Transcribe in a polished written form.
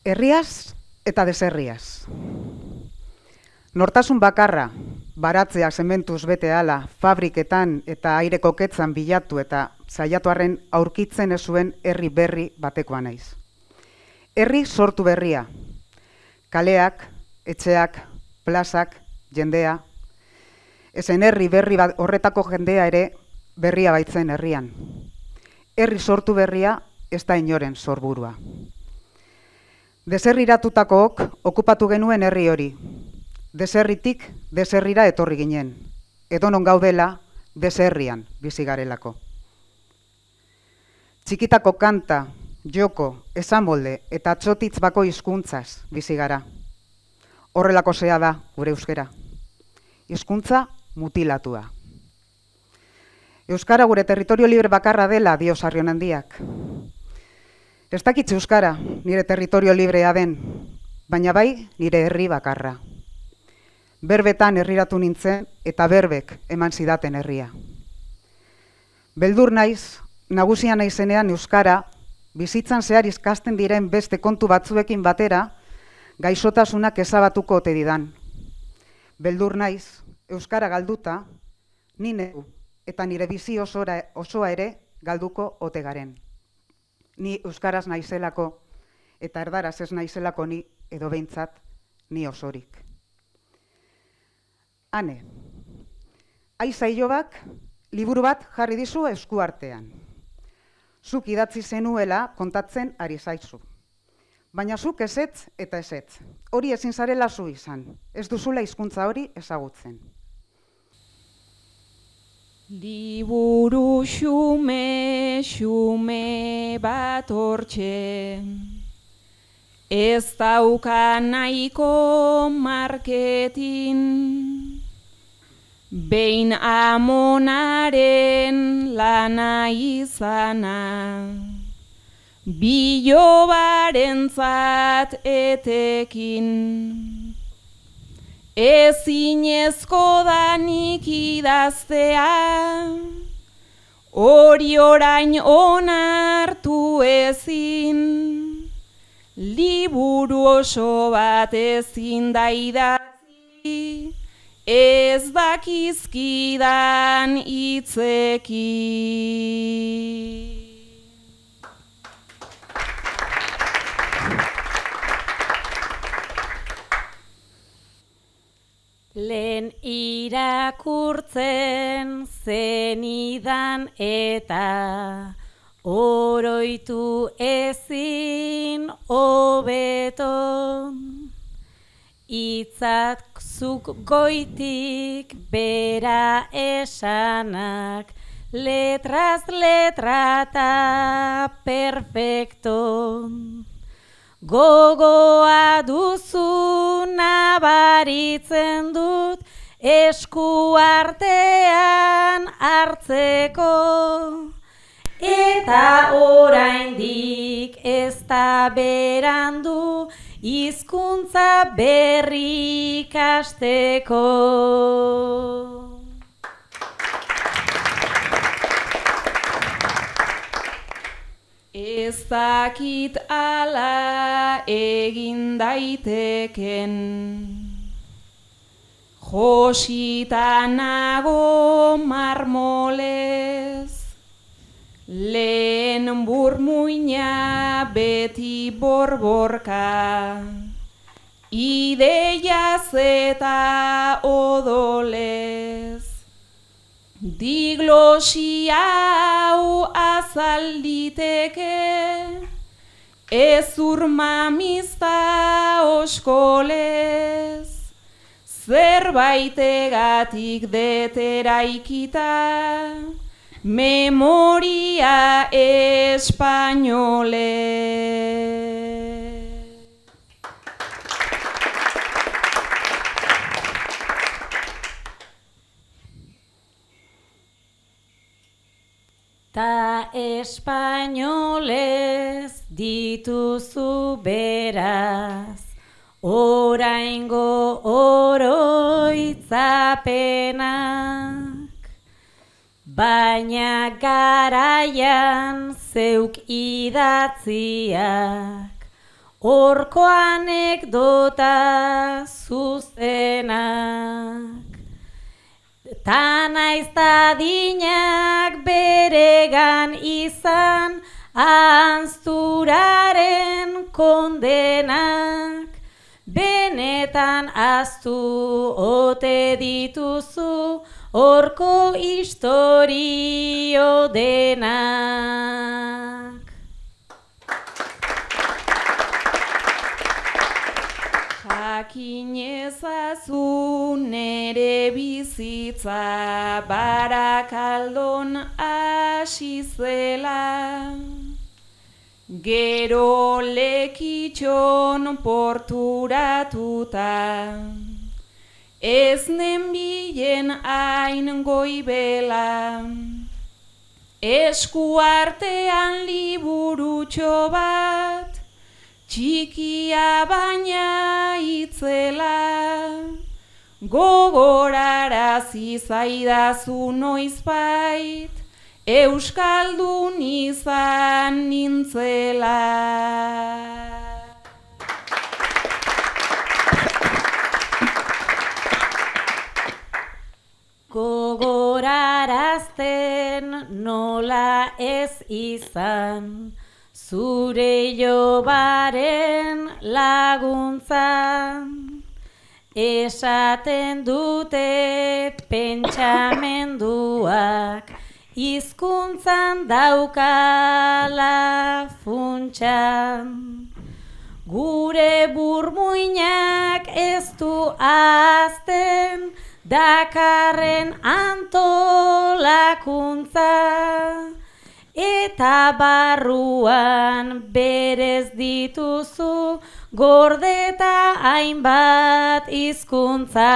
Herriaz eta deserriaz. Nortasun bakarra, baratzeak zementuz bete ala, fabriketan eta aire koketzan bilatu eta saiatuarren aurkitzen ez zuen herri berri batekoa naiz. Herri sortu berria. Kaleak, etxeak, plazak, jendea. Ezen herri berri horretako jendea ere berria baitzen herrian. Herri sortu berria ez da inoren sorburua. Deserriratutakook okupatu genuen herri hori. Deserritik deserrira etorri ginen. Edonon gaudela deserrian bizi garelako. Txikitako kanta, joko, esamolde eta txotitz bako hizkuntzaz bizi gara. Horrelako zea da gure euskera. Hizkuntza mutilatua. Euskara gure territorio libre bakarra dela dio Sarrionandiak. Ez dakitze euskara nire territorio librea den, baina bai nire herri bakarra. Berbetan herriratu nintzen eta berbek eman zidaten herria. Beldur naiz, nagusia naizenean euskara, bizitzan zehar ikasten diren beste kontu batzuekin batera, gaixotasunak ezabatuko ote didan. Beldur naiz, euskara galduta, ni neu eta nire bizi osoa ere galduko ote garen. Ni euskaraz naizelako eta erdaraz ez naizelako ni edo behintzat ni osorik. Ane, Aiza Ilobak liburu bat jarri dizu eskuartean. Zuk idatzi zenuela kontatzen ari zaizu. Baina zuk ezetz eta ezetz. Hori ezin zarela zu izan. Ez duzula hizkuntza hori ezagutzen. Liburu xume bat hortxe, ez dauka nahiko marketin, behin amonaren lana izana, bilobarentzat etekin. Ezinezko danik idaztea, hori orain onartu ezin, liburu oso bat ezin da idatzi, ez dakizkidan hitzekin. Lehen irakurtzen zenidan eta oroitu ezin hobeto, hitzak zuk goitik bera esanak, letraz letrata perfecto. Gogoa duzu nabaritzen dut esku artean hartzeko, eta oraindik ez da berandu hizkuntza berri ikasteko. Ez dakit ala egin daiteken, josita nago marmolez, lehen burmuina beti borborka, ideiaz eta odolez. Diglosia hau azalditeke, ezur mamizta oskolez, zerbaitegatik deteraikita, memoria espainolez. Ta espainolez dituzu beraz, oraingo oroitzapenak, baina garaian zeuk idatziak, Horko anekdota zuzenak. Ta naiz adinak beregan izan ahazturaren kondenak. Benetan ahaztu ote dituzu horko istorio denak. Jakin ezazu nere bizitza Barakaldon hasi zela. Gero Lekitxon porturatuta, ez nenbilen hain goibela. Eskuartean liburutxo bat, txikia baina itzela. Gogorarazi zaidazu noizbait, euskaldun izan nintzela. Gogorarazten nola ez izan, zure jobaren laguntzan. Esaten dute pentsamenduak hizkuntzan daukala funtsan. Gure burmuinak ez du ahazten dakarren antolakuntza. Eta barruan berez dituzu gordeta hainbat hizkuntza.